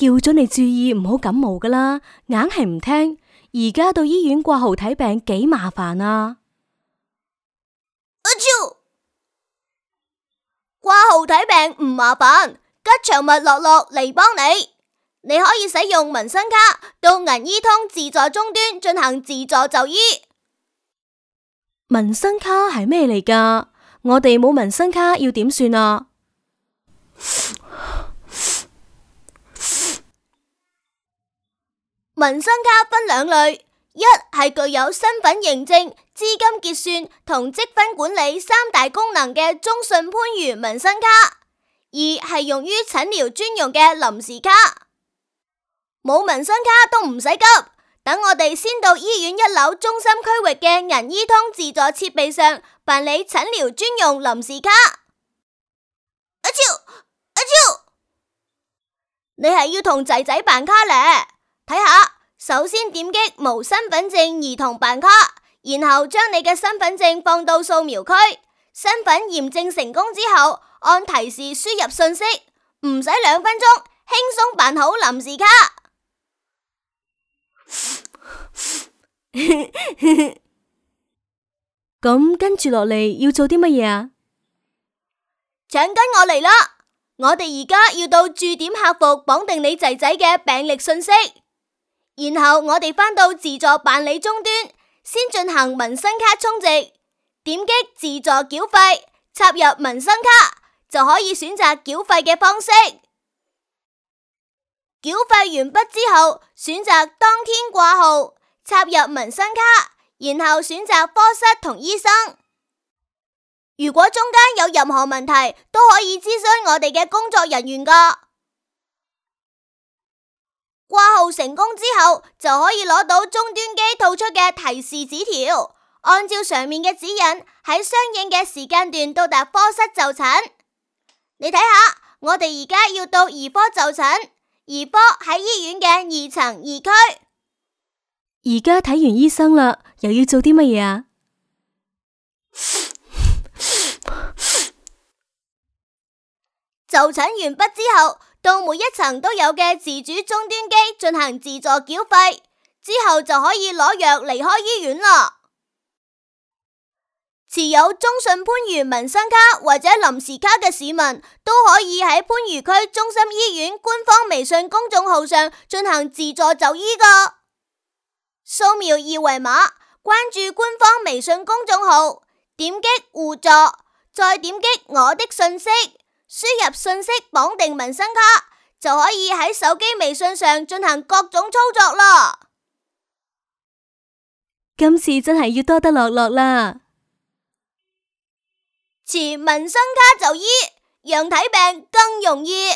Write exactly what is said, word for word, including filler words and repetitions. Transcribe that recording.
叫咗你注意唔好感冒噶啦，硬係唔聽。而家到醫院掛號睇病幾麻煩啊！阿超，掛號睇病唔麻煩，吉祥物樂樂嚟幫你。你可以使用民生卡到銀醫通自助終端進行自助就醫。民生卡係咩嚟㗎？我哋冇民生卡要點算啊？民生卡分兩類，一係具有身份認證、資金結算同積分管理三大功能嘅中信番禺民生卡，二係用於診療專用嘅臨時卡。冇民生卡都唔使急，等我哋先到醫院一樓中心區域嘅銀醫通自助設備上辦理診療專用臨時卡。阿超，阿超，你係要同仔仔辦卡咧？睇下，首先點擊無身份證兒童辦卡，然後將你嘅身份證放到掃描區，身份驗證成功之後，按提示輸入信息，唔使兩分鐘，輕鬆辦好臨時卡。咁跟住落嚟要做啲乜嘢啊？請跟我嚟啦！我哋而家要到駐點客服綁定你仔仔嘅病歷信息。然後我哋返到自助辦理終端，先進行民生卡充值，點擊自助繳費，插入民生卡，就可以選擇繳費嘅方式。繳費完畢之後，選擇當天掛號，插入民生卡，然後選擇科室同醫生。如果中間有任何問題，都可以諮詢我哋嘅工作人員㗎。掛號成功之後，就可以攞到終端機吐出嘅提示紙條，按照上面嘅指引，喺相應嘅時間段到達科室就診。你睇下，我哋而家要到兒科就診，兒科喺醫院嘅二層二區。而家睇完醫生啦，又要做啲乜嘢啊？就診完畢之後，到每一層都有嘅自主終端機進行自助繳費，之後就可以攞藥離開醫院啦。持有中信番禺民生卡或者臨時卡嘅市民，都可以喺番禺區中心醫院官方微信公眾號上進行自助就醫噶。掃描二維碼，關注官方微信公眾號，點擊互助，再點擊我的信息，輸入信息綁定民生卡，就可以喺手機微信上進行各種操作啦。今次真係要多得樂樂啦！持民生卡就醫，讓睇病更容易。